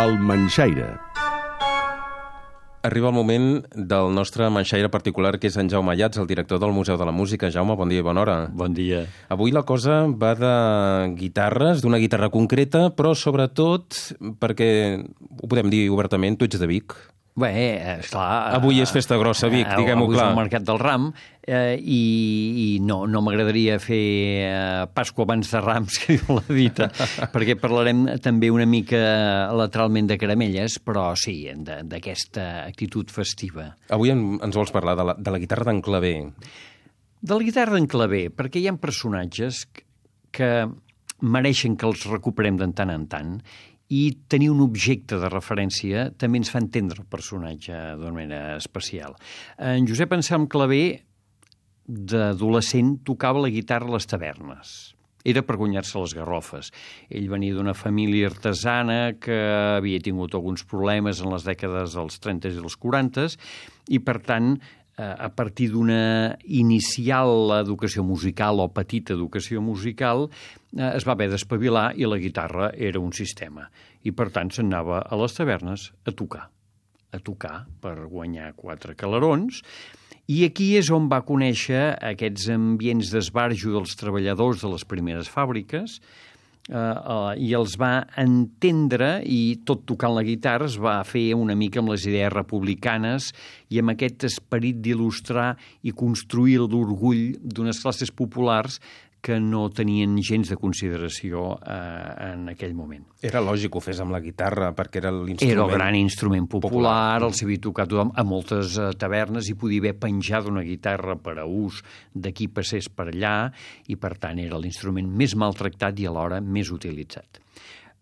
El Manxaire. Arriba el moment del nostre manxaire particular, que és en Jaume Ayats, el director del Museu de la Música. Jaume, bon dia i bona hora. Bon dia. Avui la cosa va de guitarres, d'una guitarra concreta, però sobretot perquè, ho podem dir obertament, tu ets de Vic. Bé, esclar... Avui és festa grossa a Vic, diguem-ho clar. Avui és el Mercat del Ram i no m'agradaria fer Pasqua abans de Rams, que diu la dita, perquè parlarem també una mica lateralment de caramelles, però sí, d'aquesta actitud festiva. Avui ens vols parlar de la guitarra d'en Clavé. De la guitarra d'en Clavé, perquè hi ha personatges que mereixen que els recuperem de tant en tant, i tenir un objecte de referència també ens fa entendre el personatge d'una manera especial. En Josep Anselm Clavé, d'adolescent, tocava la guitarra a les tavernes. Era per guanyar-se les garrofes. Ell venia d'una família artesana que havia tingut alguns problemes en les dècades dels 30 i dels 40 i, per tant, a partir d'una inicial educació musical o petita educació musical, es va haver d'espavilar i la guitarra era un sistema. I, per tant, s'anava a les tavernes a tocar per guanyar 4 calerons. I aquí és on va conèixer aquests ambients d'esbarjo dels treballadors de les primeres fàbriques, i els va entendre, i tot tocant la guitarra es va fer una mica amb les idees republicanes i amb aquest esperit d'il·lustrar i construir l'orgull d'unes classes populars que no tenien gens de consideració en aquell moment. Era lògic que ho fes amb la guitarra, perquè era l'instrument... Era el gran instrument popular, el sabia tocar tothom a moltes tavernes i podia haver penjat una guitarra per a ús de qui passés per allà i, per tant, era l'instrument més maltractat i alhora més utilitzat.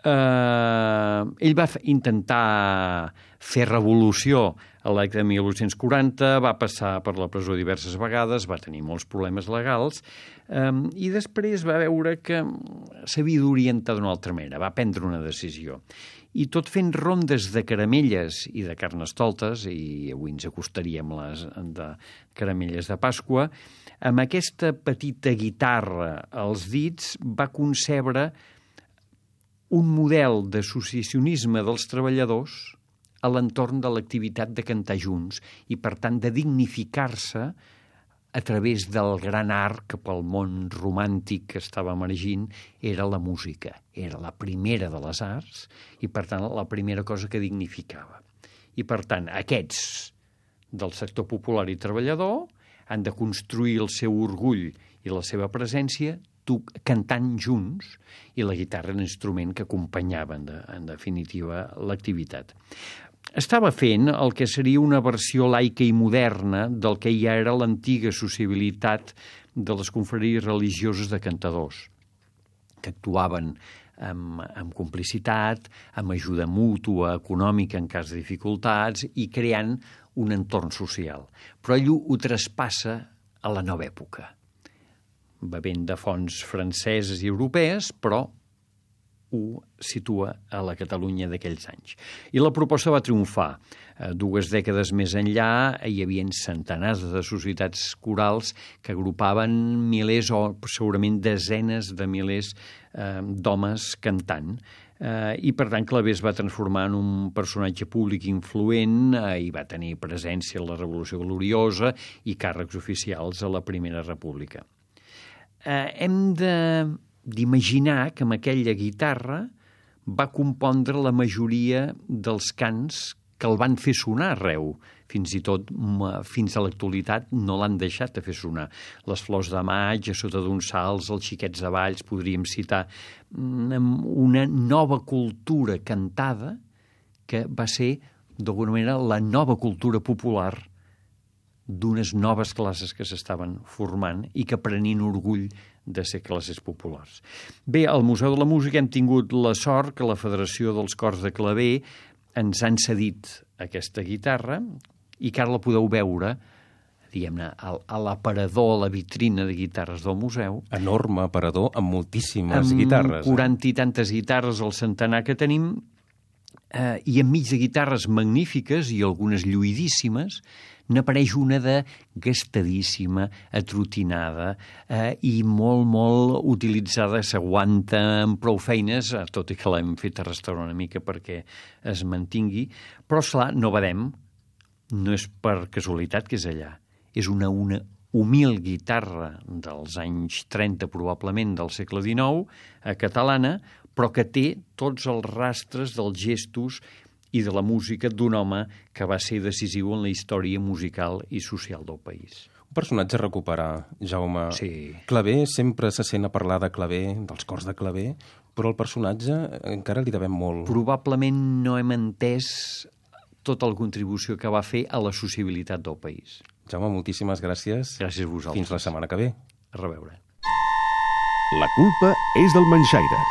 Ell va intentar fer revolució a l'any de 1840, va passar per la presó diverses vegades, va tenir molts problemes legals i després va veure que s'havia d'orientar d'una altra manera, va prendre una decisió. I tot fent rondes de caramelles i de carnestoltes, i avui ens acostaríem les de caramelles de Pasqua, amb aquesta petita guitarra als dits va concebre un model d'associacionisme dels treballadors a l'entorn de l'activitat de cantar junts i, per tant, de dignificar-se a través del gran art que pel món romàntic que estava emergint era la música. Era la primera de les arts i, per tant, la primera cosa que dignificava. I, per tant, aquests del sector popular i treballador han de construir el seu orgull i la seva presència cantant junts, i la guitarra era un instrument que acompanyava, en definitiva, l'activitat. Estava fent el que seria una versió laica i moderna del que ja era l'antiga sociabilitat de les confraries religioses de cantadors, que actuaven amb complicitat, amb ajuda mútua, econòmica en cas de dificultats i creant un entorn social. Però ell ho traspassa a la nova època, bevent de fonts franceses i europees, però ho situa a la Catalunya d'aquells anys. I la proposta va triomfar. 2 dècades més enllà hi havia centenars de societats corals que agrupaven milers o segurament desenes de milers d'homes cantant. I, per tant, Clavé es va transformar en un personatge públic influent i va tenir presència a la Revolució Gloriosa i càrrecs oficials a la Primera República. Hem d'imaginar que amb aquella guitarra va compondre la majoria dels cants que el van fer sonar arreu. Fins i tot, fins a l'actualitat, no l'han deixat de fer sonar. Les Flors de Maig, A sota d'uns salts, Els xiquets de Valls, podríem citar una nova cultura cantada que va ser, d'alguna manera, la nova cultura popular d'unes noves classes que s'estaven formant i que prenien orgull de ser classes populars. Bé, al Museu de la Música hem tingut la sort que la Federació dels Cors de Clavé ens han cedit aquesta guitarra i que ara la podeu veure, diguem-ne, a l'aparador, a la vitrina de guitarres del museu. Enorme aparador amb moltíssimes guitarres. Amb 40 i tantes guitarres al centenar que tenim, I enmig de guitarres magnífiques i algunes lluïdíssimes, n'apareix una de gastadíssima, atrotinada i molt, molt utilitzada, s'aguanta amb prou feines, tot i que l'hem fet arrastrar una mica perquè es mantingui, però, esclar, no badem, no és per casualitat que és allà. És una humil guitarra dels anys 30, probablement del segle XIX, catalana, però que té tots els rastres dels gestos i de la música d'un home que va ser decisiu en la història musical i social del país. Un personatge a recuperar, Jaume. Sí. Clavé, sempre se sent a parlar de Clavé, dels cors de Clavé, però el personatge encara li devem molt. Probablement no hem entès tota la contribució que va fer a la sociabilitat del país. Jaume, moltíssimes gràcies. Gràcies a vosaltres. Fins la setmana que ve. A reveure. La culpa és del manxaire.